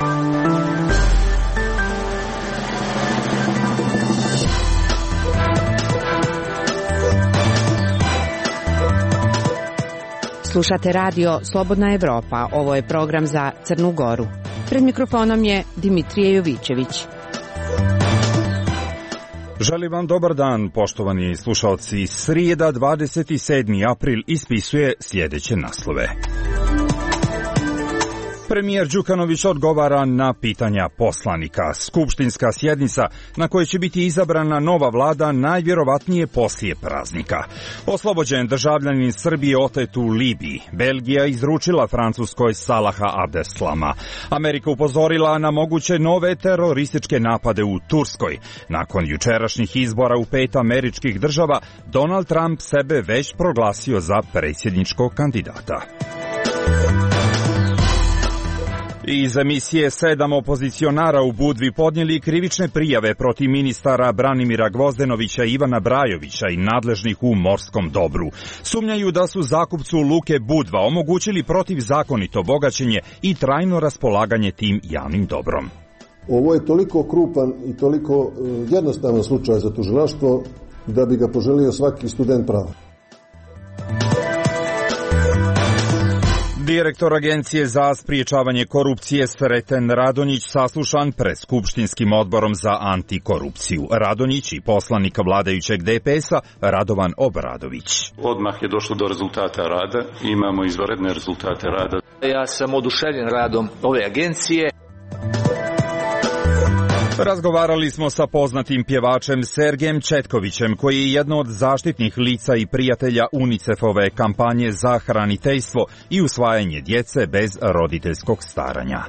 Slušate radio Slobodna Evropa. Ovo je program za Crnu Goru. Pred mikrofonom je Dimitrije Jovićević. Želim vam dobar dan, poštovani slušalci. Srijeda, 27. april ispisuje sljedeće naslove. Premijer Đukanović odgovara na pitanja poslanika. Skupštinska sjednica na kojoj će biti izabrana nova vlada najvjerovatnije poslije praznika. Oslobođen državljanin Srbije otet u Libiji. Belgija izručila Francuskoj Salaha Abdeslama. Amerika upozorila na moguće nove terorističke napade u Turskoj. Nakon jučerašnjih izbora u 5 američkih država, Donald Trump sebe već proglasio za predsjedničkog kandidata. Iz emisije 7 opozicionara u Budvi podnijeli krivične prijave protiv ministara Branimira Gvozdenovića i Ivana Brajovića i nadležnih u morskom dobru. Sumnjaju da su zakupcu Luke Budva omogućili protivzakonito bogaćenje i trajno raspolaganje tim javnim dobrom. Ovo je toliko krupan i toliko jednostavan slučaj za tužilaštvo da bi ga poželio svaki student prava. Direktor Agencije za spriječavanje korupcije Sreten Radonjić saslušan pred Skupštinskim odborom za antikorupciju. Radonjić i poslanik vladajućeg DPS-a Radovan Obradović. Odmah je došlo do rezultata rada, imamo izvanredne rezultate rada. Ja sam oduševljen radom ove agencije. Razgovarali smo sa poznatim pjevačem Sergejem Četkovićem, koji je jedno od zaštitnih lica i prijatelja UNICEF-ove kampanje za hraniteljstvo i usvajanje djece bez roditeljskog staranja.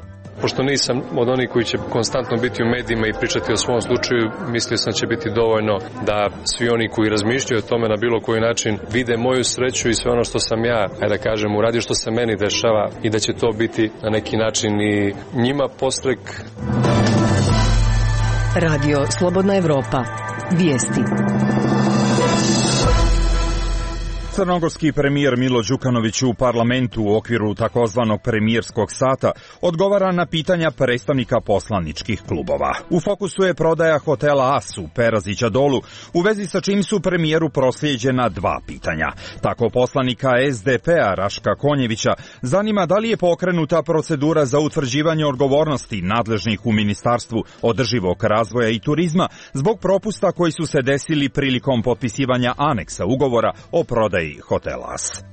Pošto nisam od onih koji će konstantno biti u medijima i pričati o svom slučaju, mislio sam će biti dovoljno da svi oni koji razmišljaju o tome na bilo koji način vide moju sreću i sve ono što sam ja, da kažem, uradio, što se meni dešava, i da će to biti na neki način i njima podstrek. Radio Slobodna Evropa. Vijesti. Crnogorski premijer Milo Đukanović u parlamentu u okviru takozvanog premijerskog sata odgovara na pitanja predstavnika poslaničkih klubova. U fokusu je prodaja hotela As u Perazića Dolu, u vezi sa čim su premijeru proslijeđena 2 pitanja. Tako poslanika SDP-a Raška Konjevića zanima da li je pokrenuta procedura za utvrđivanje odgovornosti nadležnih u Ministarstvu održivog razvoja i turizma zbog propusta koji su se desili prilikom potpisivanja aneksa ugovora o prodaji hotela As.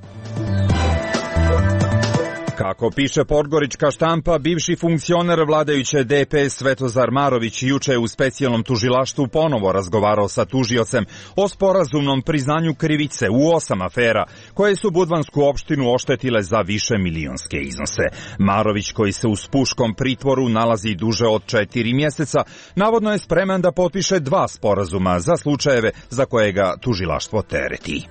Kako piše podgorička štampa, bivši funkcioner vladajuće DPS Svetozar Marović juče je u specijalnom tužilaštvu ponovo razgovarao sa tužiocem o sporazumnom priznanju krivice u 8 afera koje su budvansku opštinu oštetile za više milionske iznose. Marović, koji se u spuškom pritvoru nalazi duže od 4 mjeseca, navodno je spreman da potpiše 2 sporazuma za slučajeve za koje ga tužilaštvo tereti.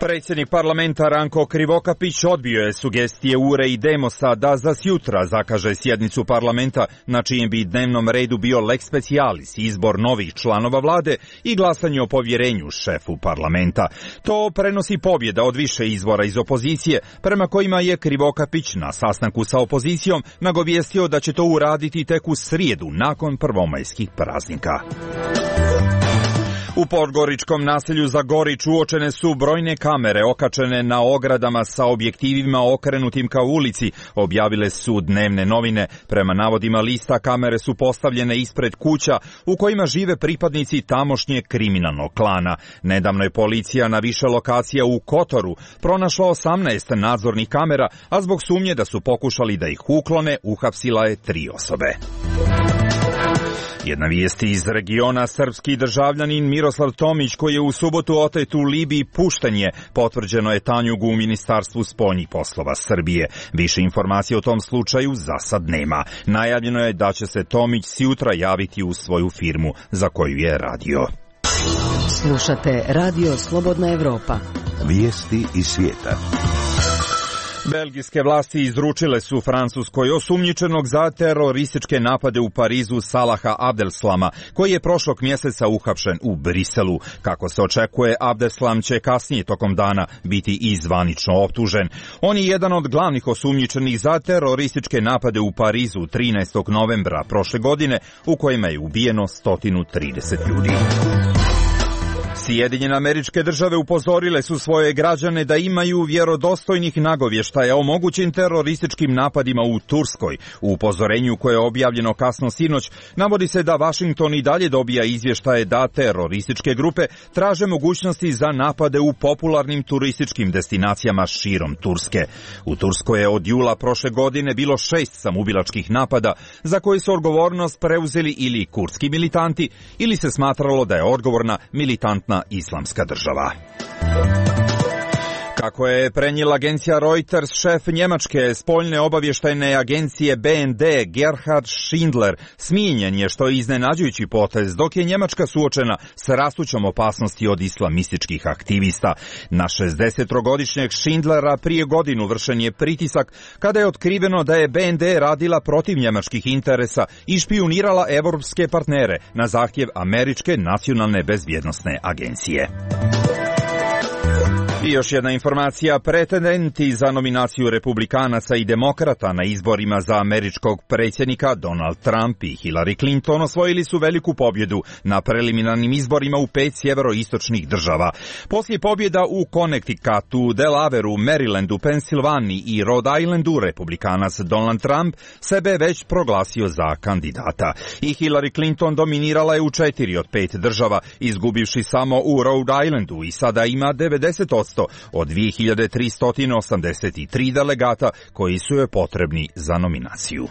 Predsjednik parlamenta Ranko Krivokapić odbio je sugestije URE i Demosa da za sjutra zakaže sjednicu parlamenta na čijem bi dnevnom redu bio lex specialis, izbor novih članova vlade i glasanje o povjerenju šefu parlamenta. To prenosi pobjeda od više izvora iz opozicije, prema kojima je Krivokapić na sastanku sa opozicijom nagovijestio da će to uraditi tek u srijedu nakon prvomajskih praznika. U podgoričkom naselju Zagorić uočene su brojne kamere okačene na ogradama sa objektivima okrenutim ka ulici, objavile su dnevne novine. Prema navodima lista, kamere su postavljene ispred kuća u kojima žive pripadnici tamošnjeg kriminalnog klana. Nedavno je policija na više lokacija u Kotoru pronašla 18 nadzornih kamera, a zbog sumnje da su pokušali da ih uklone, uhapsila je 3 osobe. Jedna vijest iz regiona, srpski državljanin Miroslav Tomić, koji je u subotu otet u Libiji, pušten je, potvrđeno je Tanjugu u Ministarstvu spoljnih poslova Srbije. Više informacija o tom slučaju za sad nema. Najavljeno je da će se Tomić sjutra javiti u svoju firmu za koju je radio. Slušate Radio Slobodna Evropa. Vijesti iz svijeta. Belgijske vlasti izručile su Francuskoj osumnjičenog za terorističke napade u Parizu Salaha Abdeslama, koji je prošlog mjeseca uhapšen u Briselu. Kako se očekuje, Abdeslam će kasnije tokom dana biti i zvanično optužen. On je jedan od glavnih osumnjičenih za terorističke napade u Parizu 13. novembra prošle godine, u kojima je ubijeno 130 ljudi. Sjedinjene Američke Države upozorile su svoje građane da imaju vjerodostojnih nagovještaja o mogućim terorističkim napadima u Turskoj. U upozorenju koje je objavljeno kasno sinoć navodi se da Washington i dalje dobija izvještaje da terorističke grupe traže mogućnosti za napade u popularnim turističkim destinacijama širom Turske. U Turskoj je od jula prošle godine bilo 6 samoubilačkih napada za koji su odgovornost preuzeli ili kurdski militanti ili se smatralo da je odgovorna militantna Islamska država. Kako je prenijela agencija Reuters, šef njemačke spoljne obavještajne agencije BND Gerhard Schindler smijenjen je, što je iznenađujući potez, dok je Njemačka suočena s rastućom opasnosti od islamističkih aktivista. Na 60-godišnjeg Schindlera prije godinu vršen je pritisak kada je otkriveno da je BND radila protiv njemačkih interesa i špijunirala evropske partnere na zahtjev Američke nacionalne bezbjednosne agencije. I još jedna informacija, pretendenti za nominaciju republikanaca i demokrata na izborima za američkog predsjednika Donald Trump i Hillary Clinton osvojili su veliku pobjedu na preliminarnim izborima u 5 sjeveroistočnih država. Poslije pobjeda u Connecticutu, Delawareu, Marylandu, Pensilvaniji i Rhode Islandu, republikanac Donald Trump sebe već proglasio za kandidata. I Hillary Clinton dominirala je u 4 od 5 država, izgubivši samo u Rhode Islandu i sada ima 90% od 2383 delegata koji su joj potrebni za nominaciju.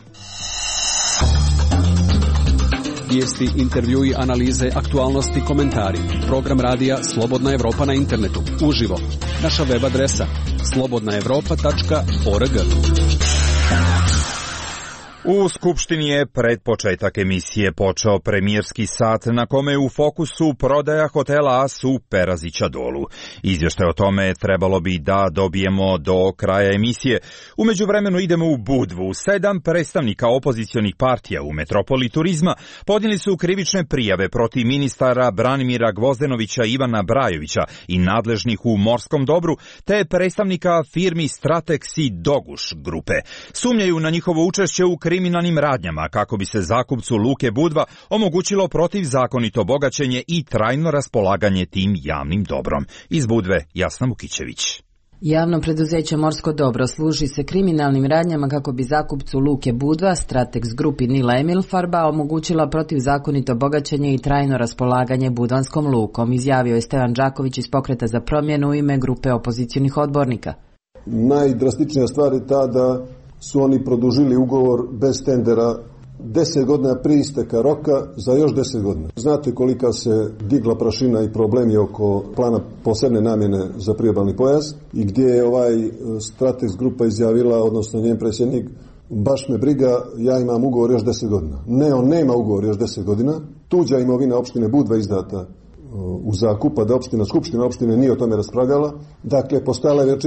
Vijesti, intervjui, analize, aktualnosti, komentari. Program radija Slobodna Evropa na internetu. Uživo. Naša web adresa slobodnaevropa.org. U Skupštini je pred početak emisije počeo premijerski sat na kome je u fokusu prodaja hotela As u Perazića Dolu. Izvještaj o tome trebalo bi da dobijemo do kraja emisije. U međuvremenu idemo u Budvu. 7 predstavnika opozicionih partija u metropoli turizma podnijeli su krivične prijave protiv ministara Branimira Gvozdenovića i Ivana Brajovića i nadležnih u morskom dobru, te predstavnika firmi Stratex i Doguš grupe. Sumnjaju na njihovo učešće u kriminalnim radnjama kako bi se zakupcu Luke Budva omogućilo protivzakonito bogaćenje i trajno raspolaganje tim javnim dobrom. Iz Budve Jasna Mukićević. Javno preduzeće Morsko dobro služi se kriminalnim radnjama kako bi zakupcu Luke Budva, Stratex grupi Nila Emilfarba, omogućila protivzakonito bogaćenje i trajno raspolaganje Budvanskom lukom, izjavio je Stevan Đaković iz Pokreta za promjenu u ime grupe opozicionih odbornika. Najdrastičnija stvar je ta da su oni produžili ugovor bez tendera 10 godina prije isteka roka za još 10 godina. Znate kolika se digla prašina i problemi oko plana posebne namjene za priobalni pojas i gdje je Stratex grupa izjavila, odnosno njen predsjednik, baš me briga, ja imam ugovor još 10 godina. Ne, on nema ugovor još 10 godina. Tuđa imovina opštine Budva izdata u zakup, da skupština opštine nije o tome raspravljala. Dakle, postojala je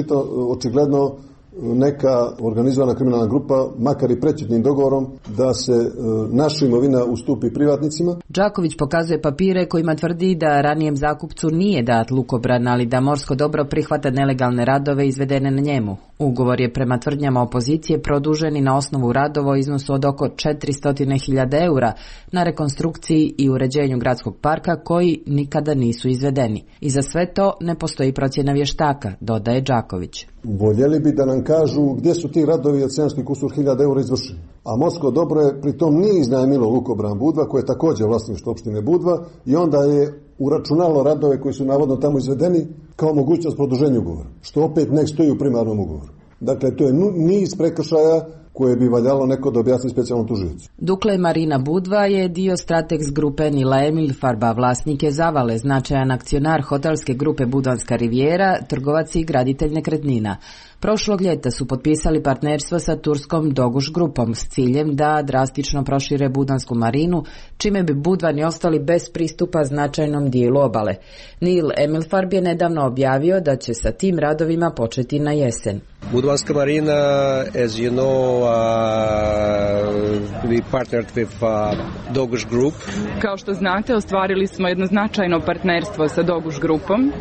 očigledno neka organizovana kriminalna grupa, makar i prećutnim dogovorom, da se naša imovina ustupi privatnicima. Đaković pokazuje papire kojima tvrdi da ranijem zakupcu nije dat lukobran, ali da morsko dobro prihvata nelegalne radove izvedene na njemu. Ugovor je prema tvrdnjama opozicije produžen i na osnovu radova u iznosu od oko 400.000 eura na rekonstrukciji i uređenju gradskog parka koji nikada nisu izvedeni. I za sve to ne postoji procjena vještaka, dodaje Đaković. Voljeli bi da nam kažu gdje su ti radovi od 700.000 eura izvršeni. A Morsko dobro je pritom nije iznajmilo lukobran Budva, koje je također vlasništvo opštine Budva, i onda je uračunalo radove koji su navodno tamo izvedeni kao mogućnost produženja ugovora, što opet ne stoji u primarnom ugovoru. Dakle, to je niz prekršaja koje bi valjalo neko da objasni specijalnom tužiocu. Dukle Marina Budva je dio Stratex grupe Nila Emilfarba, vlasnik je Zavale, značajan akcionar hotelske grupe Budvanska rivijera, trgovac i graditelj nekretnina. Prošlog ljeta su potpisali partnerstvo sa turskom Doguš grupom s ciljem da drastično prošire Budvansku marinu, čime bi Budvani ostali bez pristupa značajnom dijelu obale. Nil Emilfarb je nedavno objavio da će sa tim radovima početi na jesen. Budvanska marina, as you know, we partnered with Doguš Group. Kao što znate, ostvarili smo jedno značajno partnerstvo sa Doguš Grupom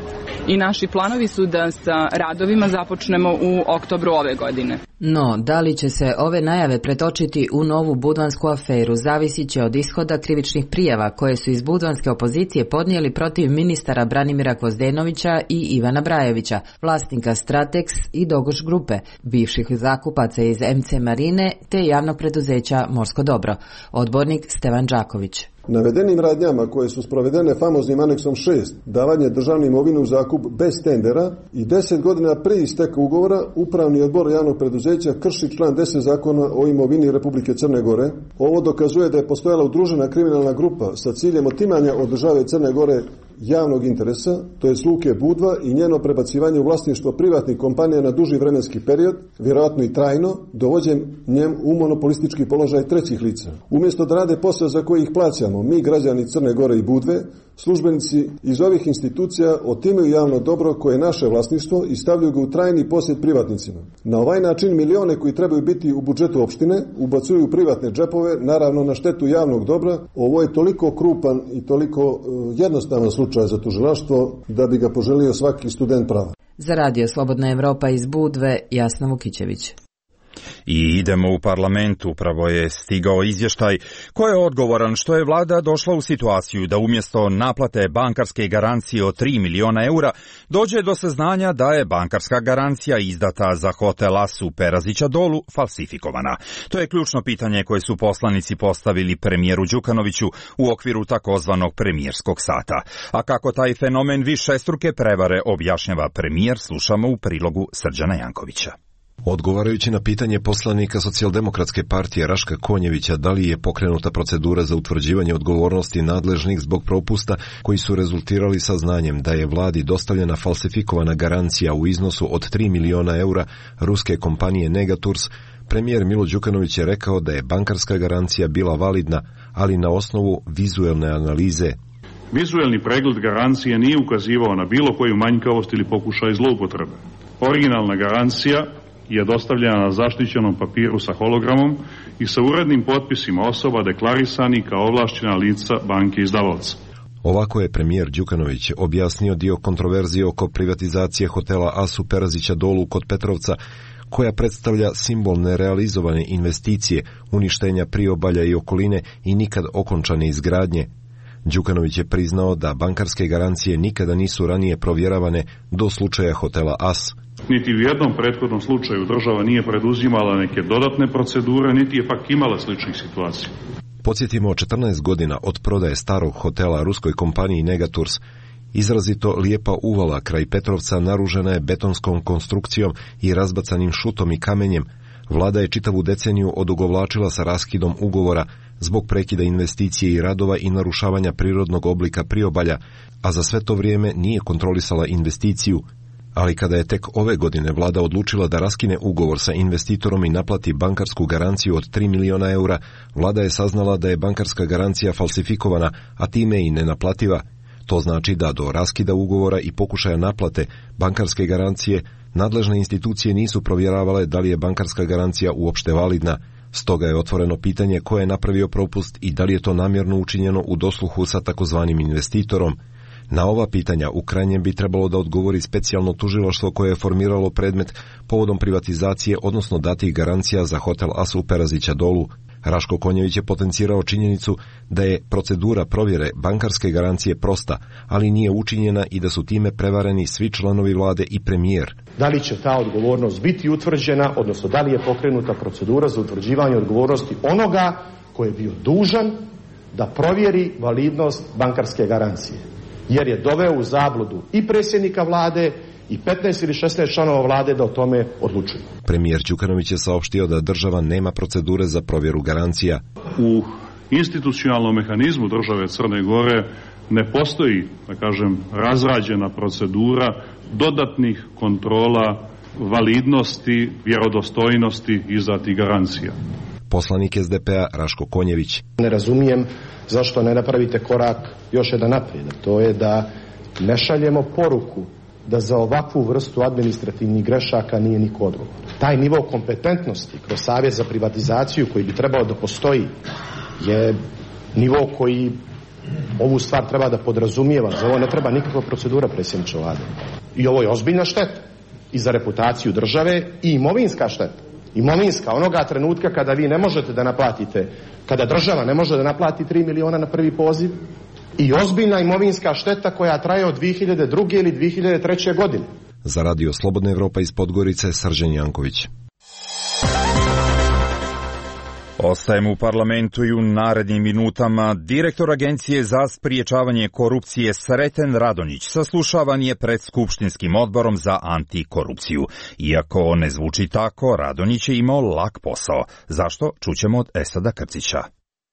i naši planovi su da sa radovima započnemo u oktobru ove godine. No, da li će se ove najave pretočiti u novu budvansku aferu zavisit će od ishoda krivičnih prijava koje su iz budvanske opozicije podnijeli protiv ministara Branimira Gvozdenovića i Ivana Brajevića, vlasnika Stratex i Doguš Grupe, bivših zakupaca iz MC Marine te javnog preduzeća Morsko dobro. Odbornik Stevan Đaković. Navedenim radnjama koje su sprovedene famoznim aneksom 6, davanje državne imovine u zakup bez tendera i 10 godina prije isteka ugovora, Upravni odbor javnog preduzeća krši član 10 zakona o imovini Republike Crne Gore. Ovo dokazuje da je postojala udružena kriminalna grupa sa ciljem otimanja od države Crne Gore javnog interesa, to je Luke Budva i njeno prebacivanje u vlasništvo privatnih kompanija na duži vremenski period, vjerojatno i trajno, dovođenjem u monopolistički položaj trećih lica. Umjesto da rade posao za koji ih plaćamo, mi građani Crne Gore i Budve, službenici iz ovih institucija otimaju javno dobro koje je naše vlasništvo i stavljaju ga u trajni posjed privatnicima. Na ovaj način milione koji trebaju biti u budžetu opštine ubacuju u privatne džepove, naravno na štetu javnog dobra. Ovo je toliko krupan i toliko jednostavan slučaj za tužilaštvo da bi ga poželio svaki student prava. Za Radio Slobodna Evropa iz Budve, Jasna Vukićević. I idemo u parlament, upravo je stigao izvještaj ko je odgovoran što je vlada došla u situaciju da umjesto naplate bankarske garancije od 3 miliona eura dođe do saznanja da je bankarska garancija izdata za hotel As u Perazića Dolu falsifikovana. To je ključno pitanje koje su poslanici postavili premijeru Đukanoviću u okviru takozvanog premijerskog sata. A kako taj fenomen višestruke prevare objašnjava premijer, slušamo u prilogu Srđana Jankovića. Odgovarajući na pitanje poslanika Socijaldemokratske partije Raška Konjevića da li je pokrenuta procedura za utvrđivanje odgovornosti nadležnih zbog propusta koji su rezultirali saznanjem da je vladi dostavljena falsifikovana garancija u iznosu od 3 miliona eura ruske kompanije Negatours, premijer Milo Đukanović je rekao da je bankarska garancija bila validna, ali na osnovu vizuelne analize. Vizuelni pregled garancije nije ukazivao na bilo koju manjkavost ili pokušaj zloupotrebe. Originalna garancija je dostavljena na zaštićenom papiru sa hologramom i sa urednim potpisima osoba deklarisani kao ovlašćena lica banke izdavaoca. Ovako je premijer Đukanović objasnio dio kontroverzije oko privatizacije hotela As u Perazića Dolu kod Petrovca, koja predstavlja simbol nerealizovane investicije, uništenja priobalja i okoline i nikad okončane izgradnje. Đukanović je priznao da bankarske garancije nikada nisu ranije provjeravane do slučaja hotela As. Niti u jednom prethodnom slučaju država nije preduzimala neke dodatne procedure, niti je pak imala sličnih situacija. Podsjetimo, 14 godina od prodaje starog hotela ruskoj kompaniji Negatours, izrazito lijepa uvala kraj Petrovca naružena je betonskom konstrukcijom i razbacanim šutom i kamenjem. Vlada je čitavu deceniju odugovlačila sa raskidom ugovora zbog prekida investicije i radova i narušavanja prirodnog oblika priobalja, a za sve to vrijeme nije kontrolisala investiciju. Ali kada je tek ove godine vlada odlučila da raskine ugovor sa investitorom i naplati bankarsku garanciju od 3 miliona eura, vlada je saznala da je bankarska garancija falsifikovana, a time i nenaplativa. To znači da do raskida ugovora i pokušaja naplate bankarske garancije nadležne institucije nisu provjeravale da li je bankarska garancija uopšte validna. Stoga je otvoreno pitanje ko je napravio propust i da li je to namjerno učinjeno u dosluhu sa takozvanim investitorom. Na ova pitanja u krajnjem bi trebalo da odgovori specijalno tužilaštvo koje je formiralo predmet povodom privatizacije, odnosno datih garancija za hotel As u Perazića Dolu. Raško Konjević je potencirao činjenicu da je procedura provjere bankarske garancije prosta, ali nije učinjena i da su time prevareni svi članovi vlade i premijer. Da li će ta odgovornost biti utvrđena, odnosno da li je pokrenuta procedura za utvrđivanje odgovornosti onoga koji je bio dužan da provjeri validnost bankarske garancije, jer je doveo u zabludu i predsjednika vlade i 15 ili 16 članova vlade da o tome odlučuju. Premijer Đukanović je saopštio da država nema procedure za provjeru garancija. U institucionalnom mehanizmu države Crne Gore ne postoji, da kažem, razrađena procedura dodatnih kontrola validnosti, vjerodostojnosti izdatih garancija. Poslanik SDP-a Raško Konjević. Ne razumijem zašto ne napravite korak još jedan naprijed. To je da ne šaljemo poruku da za ovakvu vrstu administrativnih grešaka nije niko odgovoran. Taj nivo kompetentnosti kroz Savjet za privatizaciju koji bi trebao da postoji je nivo koji ovu stvar treba da podrazumijeva. Za ovo ne treba nikakva procedura, predsjedniče Vlade. I ovo je ozbiljna šteta i za reputaciju države i imovinska šteta. Imovinska, onoga trenutka kada vi ne možete da naplatite, kada država ne može da naplati 3 miliona na prvi poziv, i ozbiljna imovinska šteta koja traje od 2002. ili 2003. godine. Za radio Slobodna Evropa iz Podgorice, Srđan Janković. Ostajemo u parlamentu i u narednim minutama. Direktor Agencije za spriječavanje korupcije Sreten Radonjić saslušavan je pred Skupštinskim odborom za antikorupciju. Iako ne zvuči tako, Radonjić je imao lak posao. Zašto? Čućemo od Esada Krcića.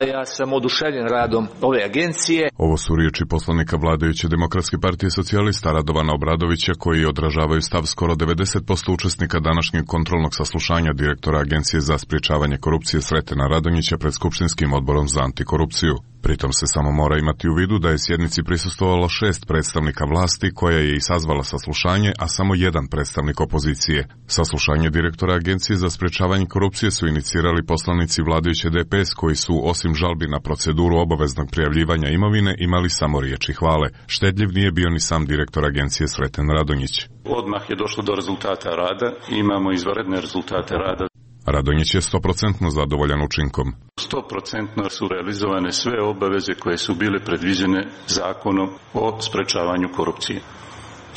Ja sam oduševljen radom ove agencije. Ovo su riječi poslanika vladajuće Demokratske partije socijalista Radovana Obradovića, koji odražavaju stav skoro 90% učesnika današnjeg kontrolnog saslušanja direktora Agencije za spriječavanje korupcije Sretena Radonjića pred Skupštinskim odborom za antikorupciju. Pritom se samo mora imati u vidu da je sjednici prisustvovalo 6 predstavnika vlasti koja je i sazvala saslušanje, a samo jedan predstavnik opozicije. Saslušanje direktora Agencije za sprečavanje korupcije su inicirali poslanici vladajuće DPS koji su, osim žalbi na proceduru obaveznog prijavljivanja imovine, imali samo riječi hvale. Štedljiv nije bio ni sam direktor Agencije Sreten Radonjić. Odmah je došlo do rezultata rada, imamo izvanredne rezultate rada. Radonjić je 100% zadovoljan učinkom. 100% su realizovane sve obaveze koje su bile predviđene zakonom o sprečavanju korupcije.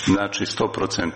Znači 100%.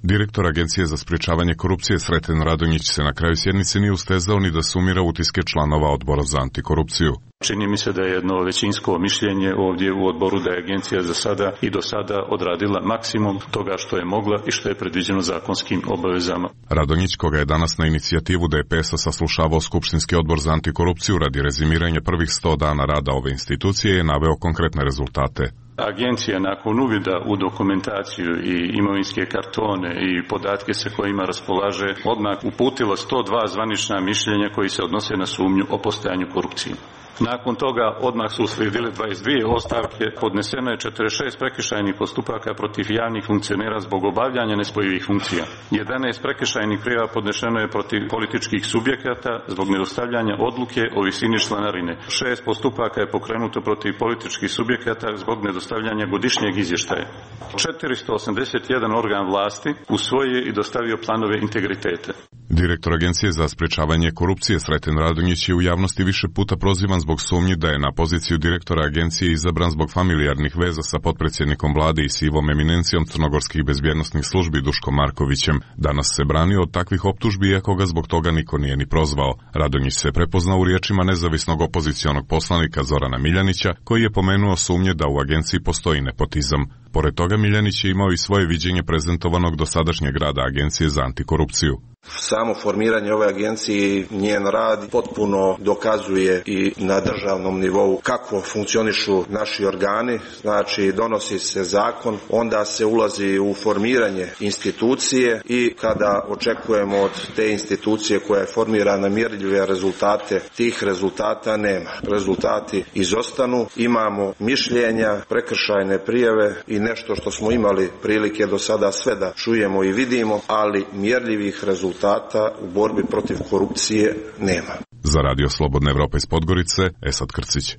Direktor Agencije za sprječavanje korupcije Sreten Radonjić se na kraju sjednice nije ustezao ni da sumira utiske članova odbora za antikorupciju. Čini mi se da je jedno većinsko mišljenje ovdje u odboru da je agencija za sada i do sada odradila maksimum toga što je mogla i što je predviđeno zakonskim obavezama. Radonjić, koga je danas na inicijativu DPS-a saslušavao Skupštinski odbor za antikorupciju radi rezimiranja prvih 100 dana rada ove institucije, je naveo konkretne rezultate. Agencija nakon uvida u dokumentaciju i imovinske kartone i podatke sa kojima raspolaže odmah uputila 102 zvanična mišljenja koji se odnose na sumnju o postojanju korupcije. Nakon toga odmah su uslijedile 22 ostavke, podneseno je 46 prekršajnih postupaka protiv javnih funkcionera zbog obavljanja nespojivih funkcija. 11 prekršajnih prijava podnešeno je protiv političkih subjekata zbog nedostavljanja odluke o visini članarine. 6 postupaka je pokrenuto protiv političkih subjekata zbog nedostavljanja godišnjeg izvještaja. 481 organ vlasti usvojio i dostavio planove integriteta. Direktor Agencije za sprečavanje korupcije Sreten Radonjić je u javnosti više puta prozivan zbog sumnji da je na poziciju direktora agencije izabran zbog familijarnih veza sa potpredsjednikom vlade i sivom eminencijom crnogorskih bezbjednosnih službi Duškom Markovićem. Danas se branio od takvih optužbi, iako ga zbog toga niko nije ni prozvao. Radonjić se prepoznao u riječima nezavisnog opozicionog poslanika Zorana Miljanića, koji je pomenuo sumnje da u agenciji postoji nepotizam. Pored toga, Miljanić je imao i svoje viđenje prezentovanog dosadašnjeg rada Agencije za antikorupciju. Samo formiranje ove agencije i njen rad potpuno dokazuje i na državnom nivou kako funkcionišu naši organi. Znači, donosi se zakon, onda se ulazi u formiranje institucije i kada očekujemo od te institucije koja je formirana mjerljive rezultate, tih rezultata nema. Rezultati izostanu, imamo mišljenja, prekršajne prijave i nešto što smo imali prilike do sada sve da čujemo i vidimo, ali mjerljivih rezultata u borbi protiv korupcije nema. Za radio Slobodna Evropa iz Podgorice, Esad Krcić.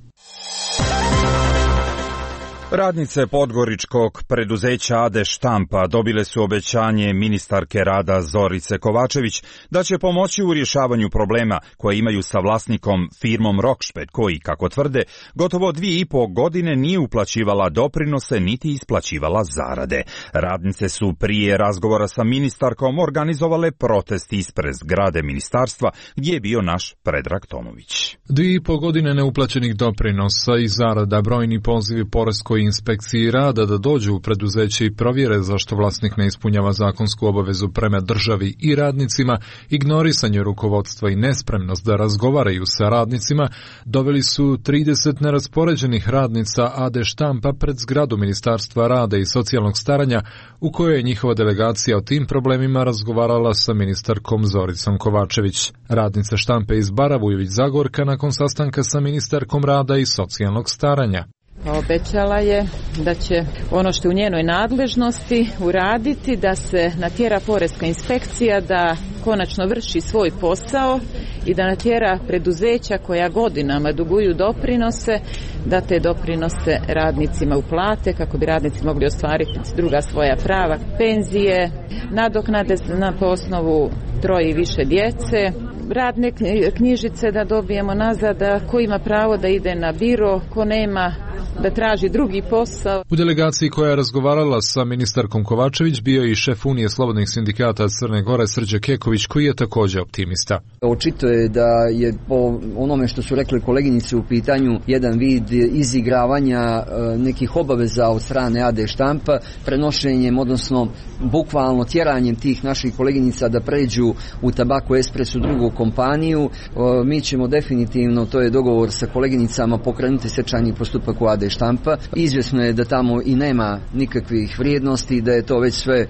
Radnice podgoričkog preduzeća AD Štampa dobile su obećanje ministarke rada Zorice Kovačević da će pomoći u rješavanju problema koje imaju sa vlasnikom firmom Rokšped, koji, kako tvrde, gotovo 2,5 godine nije uplaćivala doprinose niti isplaćivala zarade. Radnice su prije razgovora sa ministarkom organizovale protest ispred zgrade ministarstva, gdje je bio naš Predrag Tomović. 2,5 godine neuplaćenih doprinosa i zarada, brojni pozivi poreskoj inspekciji rada da dođu u preduzeće i provjere zašto vlasnik ne ispunjava zakonsku obavezu prema državi i radnicima, ignorisanje rukovodstva i nespremnost da razgovaraju sa radnicima doveli su 30 neraspoređenih radnica AD Štampa pred zgradu Ministarstva rada i socijalnog staranja, u kojoj je njihova delegacija o tim problemima razgovarala sa ministarkom Zoricom Kovačević. Radnice Štampe iz Baravujović Zagorka nakon sastanka sa ministarkom rada i socijalnog staranja. Obećala je da će ono što je u njenoj nadležnosti uraditi, da se natjera poreska inspekcija da konačno vrši svoj posao i da natjera preduzeća koja godinama duguju doprinose, da te doprinose radnicima uplate kako bi radnici mogli ostvariti druga svoja prava, penzije, nadoknade po osnovu 3 i više djece, radne knjižice da dobijemo nazad, da ko ima pravo da ide na biro, ko nema da traži drugi posao. U delegaciji koja je razgovarala sa ministarkom Kovačević bio i šef Unije slobodnih sindikata Crne Gore Srđan Keković, koji je također optimista. Očito je da je po onome što su rekli koleginice u pitanju jedan vid izigravanja nekih obaveza od strane AD štampa, prenošenjem, odnosno bukvalno tjeranjem tih naših koleginica da pređu u Tabako Espresso drugu kompaniju. Mi ćemo definitivno, to je dogovor sa koleginicama, pokrenuti stečajni postupak u AD štampa. Izvjesno je da tamo i nema nikakvih vrijednosti, da je to već sve,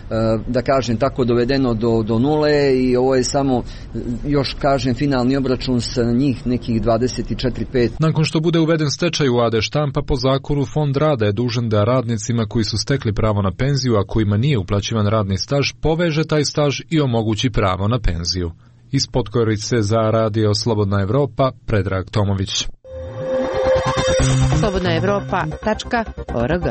da kažem tako, dovedeno do nule i ovo je samo, još kažem, finalni obračun sa njih nekih 24-5. Nakon što bude uveden stečaj u AD štampa, po zakonu Fond rada je dužan da radnicima koji su stekli pravo na penziju, a kojima nije uplaćivan radni staž, poveže taj staž i omogući pravo na penziju. Iz Podgorice za Radio Slobodna Evropa, Predrag Tomović. slobodnaevropa.org.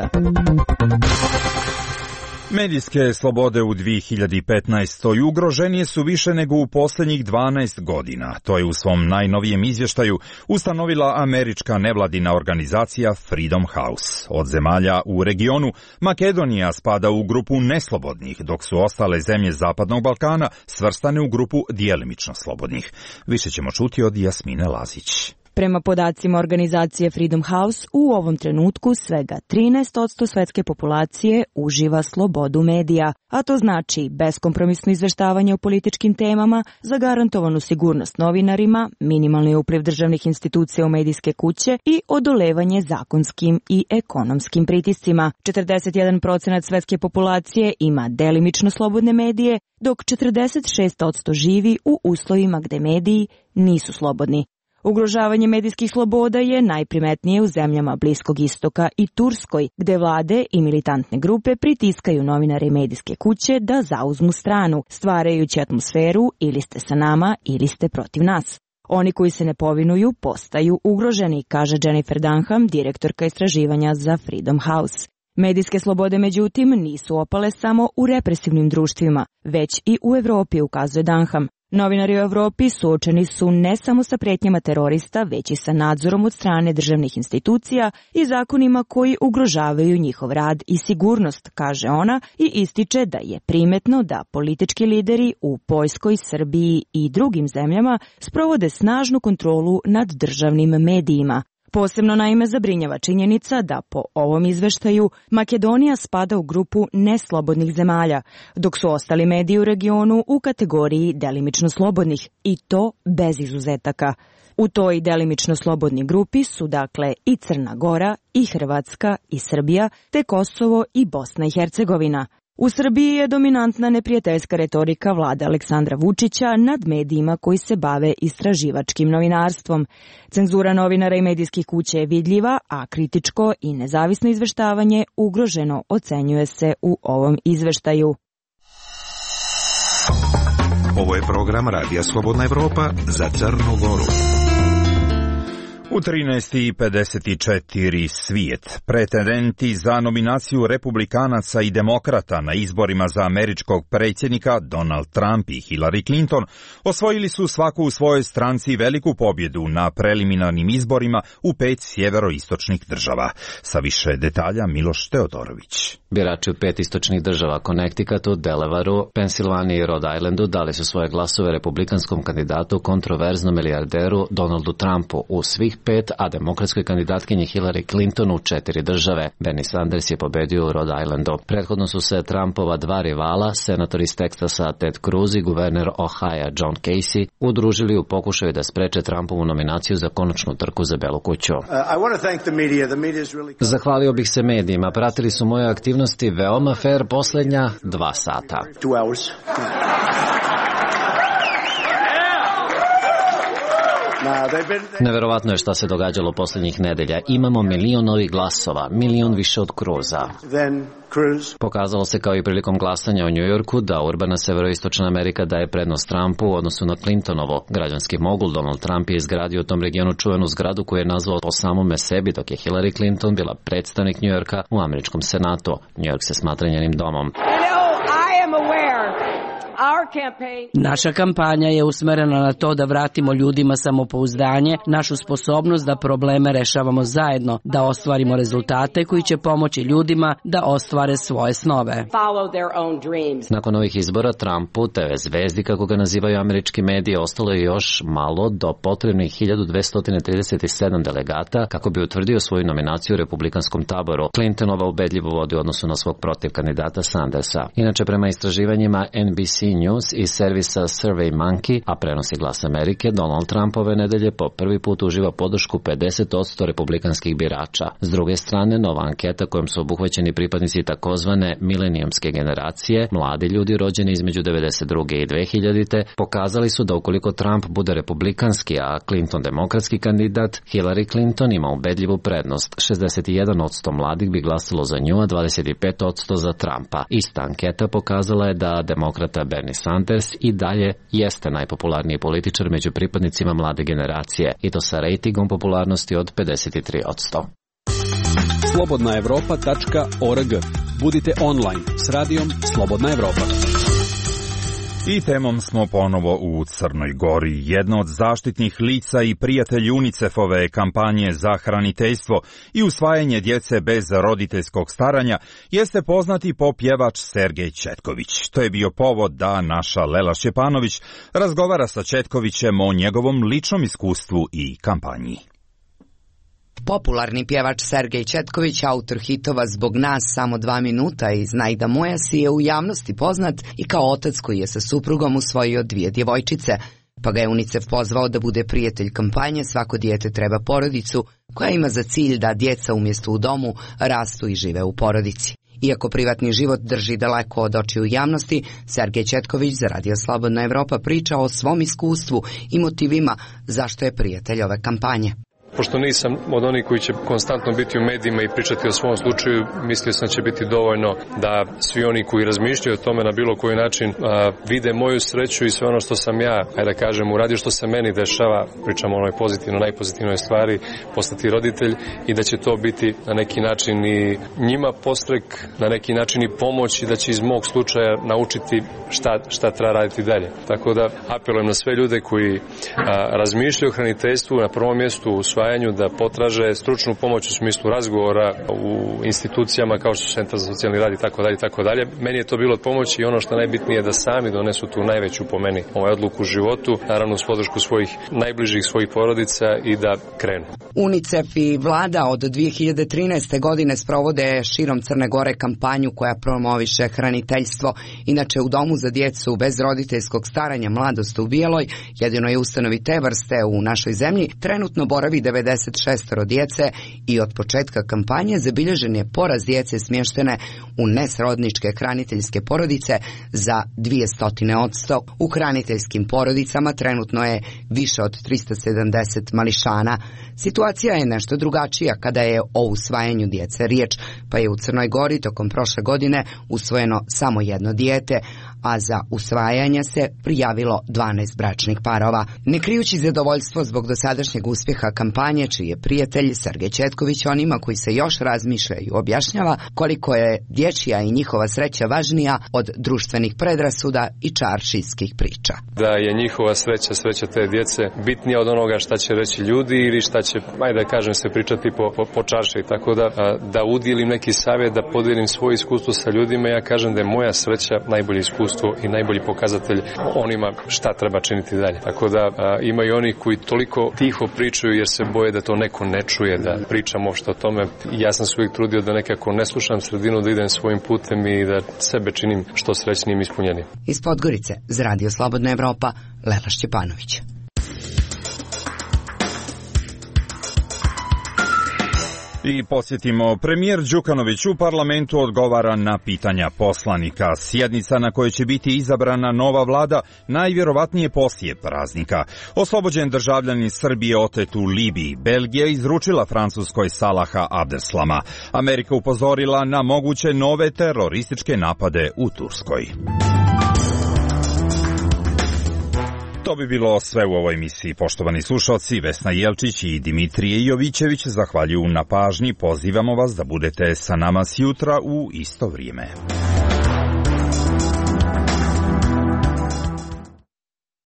Medijske slobode u 2015. ugroženije su više nego u posljednjih 12 godina. To je u svom najnovijem izvještaju ustanovila američka nevladina organizacija Freedom House. Od zemalja u regionu, Makedonija spada u grupu neslobodnih, dok su ostale zemlje Zapadnog Balkana svrstane u grupu djelimično slobodnih. Više ćemo čuti od Jasmine Lazić. Prema podacima organizacije Freedom House, u ovom trenutku svega 13% svetske populacije uživa slobodu medija, a to znači beskompromisno izveštavanje o političkim temama, zagarantovanu sigurnost novinarima, minimalni upliv državnih institucija u medijske kuće i odolevanje zakonskim i ekonomskim pritiscima. 41% svetske populacije ima delimično slobodne medije, dok 46% živi u uslovima gde mediji nisu slobodni. Ugrožavanje medijskih sloboda je najprimetnije u zemljama Bliskog istoka i Turskoj, gde vlade i militantne grupe pritiskaju novinare i medijske kuće da zauzmu stranu, stvarajući atmosferu ili ste sa nama ili ste protiv nas. Oni koji se ne povinuju postaju ugroženi, kaže Jennifer Dunham, direktorka istraživanja za Freedom House. Medijske slobode, međutim, nisu opale samo u represivnim društvima, već i u Evropi, ukazuje Dunham. Novinari u Evropi suočeni su ne samo sa pretnjama terorista, već i sa nadzorom od strane državnih institucija i zakonima koji ugrožavaju njihov rad i sigurnost, kaže ona, i ističe da je primetno da politički lideri u Poljskoj, Srbiji i drugim zemljama sprovode snažnu kontrolu nad državnim medijima. Posebno naime zabrinjava činjenica da po ovom izveštaju Makedonija spada u grupu neslobodnih zemalja, dok su ostali mediji u regionu u kategoriji delimično slobodnih, i to bez izuzetaka. U toj delimično slobodnoj grupi su dakle i Crna Gora, i Hrvatska, i Srbija, te Kosovo i Bosna i Hercegovina. U Srbiji je dominantna neprijateljska retorika vlade Aleksandra Vučića nad medijima koji se bave istraživačkim novinarstvom. Cenzura novinara i medijskih kuća je vidljiva, a kritičko i nezavisno izveštavanje ugroženo, ocenjuje se u ovom izveštaju. Ovo je program Radija Slobodna Evropa za Crnu Goru. U 13:54 svijet. Pretendenti za nominaciju republikanaca i demokrata na izborima za američkog predsjednika Donald Trump i Hillary Clinton osvojili su svaku u svojoj stranci veliku pobjedu na preliminarnim izborima u 5 sjeveroistočnih država. Sa više detalja Miloš Teodorović. Birači u 5 istočnih država, Connecticutu, Delawareu, Pensilvaniji i Rhode Islandu dali su svoje glasove republikanskom kandidatu, kontroverznom milijarderu Donaldu Trumpu u svih 5, a demokratskoj kandidatkinji Hillary Clinton u 4 države. Bernie Sanders je pobedio u Rhode Islandu. Prethodno su se Trumpova dva rivala, senator iz Teksasa Ted Cruz i guverner Ohio John Casey, udružili u pokušaju da spreče Trumpovu nominaciju za konačnu trku za Belu kuću. Zahvalio bih se medijima, pratili su moje aktivnosti veoma fair posljednja 2 sata. Neverovatno je šta se događalo posljednjih nedelja. Imamo milion novih glasova, milion više od Cruza. Pokazalo se kao i prilikom glasanja u Njujorku da urbana severoistočna Amerika daje prednost Trumpu u odnosu na Clintonovo. Građanski mogul Donald Trump je izgradio u tom regionu čuvenu zgradu koju je nazvao po samome sebi, dok je Hillary Clinton bila predstavnik Njujorka u američkom senatu. Njujork se smatra njenim domom. Naša kampanja je usmerena na to da vratimo ljudima samopouzdanje, našu sposobnost da probleme rešavamo zajedno, da ostvarimo rezultate koji će pomoći ljudima da ostvare svoje snove. Nakon ovih izbora Trumpu, TV zvezdi, kako ga nazivaju američki mediji, ostalo je još malo do potrebnih 1237 delegata kako bi utvrdio svoju nominaciju u republikanskom taboru. Clintonova ubedljivo vodi u odnosu na svog protiv kandidata Sandersa. Inače, prema istraživanjima NBC News i servisa SurveyMonkey, a prenosi Glas Amerike, Donald Trump ove nedelje po prvi put uživa podršku 50% republikanskih birača. S druge strane, nova anketa kojom su obuhvaćeni pripadnici takozvane milenijumske generacije, mladi ljudi rođeni između 92. i 2000. pokazali su da ukoliko Trump bude republikanski, a Clinton demokratski kandidat, Hillary Clinton ima ubedljivu prednost. 61% mladih bi glasalo za nju, a 25% za Trumpa. Ista anketa pokazala je da demokrata Bernie Sanders i dalje jeste najpopularniji političar među pripadnicima mlade generacije, i to sa rejtingom popularnosti od 53%. Slobodnaevropa.org. Budite online s radijom Slobodna Evropa. I temom smo ponovo u Crnoj Gori. Jedno od zaštitnih lica i prijatelj UNICEF-ove kampanje za hraniteljstvo i usvajanje djece bez roditeljskog staranja jeste poznati pop-pjevač Sergej Četković. To je bio povod da naša Lela Šćepanović razgovara sa Četkovićem o njegovom ličnom iskustvu i kampanji. Popularni pjevač Sergej Četković, autor hitova Zbog nas, Samo 2 minuta i Znaj da moja si, je u javnosti poznat i kao otac koji je sa suprugom usvojio 2 djevojčice, pa ga je UNICEF pozvao da bude prijatelj kampanje Svako dijete treba porodicu, koja ima za cilj da djeca umjesto u domu rastu i žive u porodici. Iako privatni život drži daleko od očiju javnosti, Sergej Četković za Radio Slobodna Evropa priča o svom iskustvu i motivima zašto je prijatelj ove kampanje. Pošto nisam od onih koji će konstantno biti u medijima i pričati o svom slučaju, mislio sam će biti dovoljno da svi oni koji razmišljaju o tome na bilo koji način vide moju sreću i sve ono što sam ja, ajde da kažem, uradio, što se meni dešava, pričamo o onoj pozitivnoj, najpozitivnoj stvari, postati roditelj, i da će to biti na neki način i njima podstrek, na neki način i pomoć, i da će iz mog slučaja naučiti šta treba raditi dalje. Tako da apelujem na sve ljude koji razmišljaju o hraniteljstvu, na prvom mjestu u da potraže stručnu pomoć u smislu razgovora u institucijama kao što su Centar za socijalni rad i tako dalje. Meni je to bilo od pomoći, i ono što najbitnije je da sami donesu tu najveću, po meni, odluku u životu, naravno uz podršku svojih najbližih, svojih porodica, i da krenu. UNICEF i vlada od 2013. godine sprovode širom Crne Gore kampanju koja promoviše hraniteljstvo. Inače, u Domu za djecu bez roditeljskog staranja Mladost u Bijeloj, jedinoj ustanovi te vrste u našoj zemlji, trenutno boravi 96 djece i od početka kampanje zabilježen je porast djece smještene u nesrodničke hraniteljske porodice za 200%. U hraniteljskim porodicama trenutno je više od 370 mališana. Situacija je nešto drugačija kada je o usvajanju djece riječ, pa je u Crnoj Gori tokom prošle godine usvojeno samo 1 dijete, a za usvajanje se prijavilo 12 bračnih parova. Ne krijući zadovoljstvo zbog dosadašnjeg uspjeha kampanje, čiji je prijatelj Sergej Četković onima koji se još razmišljaju objašnjava koliko je dječja i njihova sreća važnija od društvenih predrasuda i čaršijskih priča. Da je njihova sreća te djece bitnija od onoga šta će reći ljudi ili šta će, ajde da kažem, se pričati po čarši. Tako da udjelim neki savjet, da podijelim svoje iskustvo sa ljudima, ja kažem da je moja sreća najbolje iskustvo i najbolji pokazatelj onima šta treba činiti dalje. Tako da ima i oni koji toliko tiho pričaju jer se boje da to neko ne čuje, da pričam uopšte o tome. Ja sam se uvijek trudio da nekako ne slušam sredinu, da idem svojim putem i da sebe činim što srećnijim i ispunjenim. Iz Podgorice za Radio Slobodna Evropa, Lela Šćepanović. I posjetimo, premijer Đukanović u parlamentu odgovara na pitanja poslanika. Sjednica na kojoj će biti izabrana nova vlada najvjerovatnije poslije praznika. Oslobođen državljanin Srbije otet u Libiji. Belgija izručila Francuskoj Salaha Abdeslama. Amerika upozorila na moguće nove terorističke napade u Turskoj. To bi bilo sve u ovoj emisiji. Poštovani slušalci, Vesna Jelčić i Dimitrije Jovićević zahvaljuju na pažnji. Pozivamo vas da budete sa nama sjutra u isto vrijeme.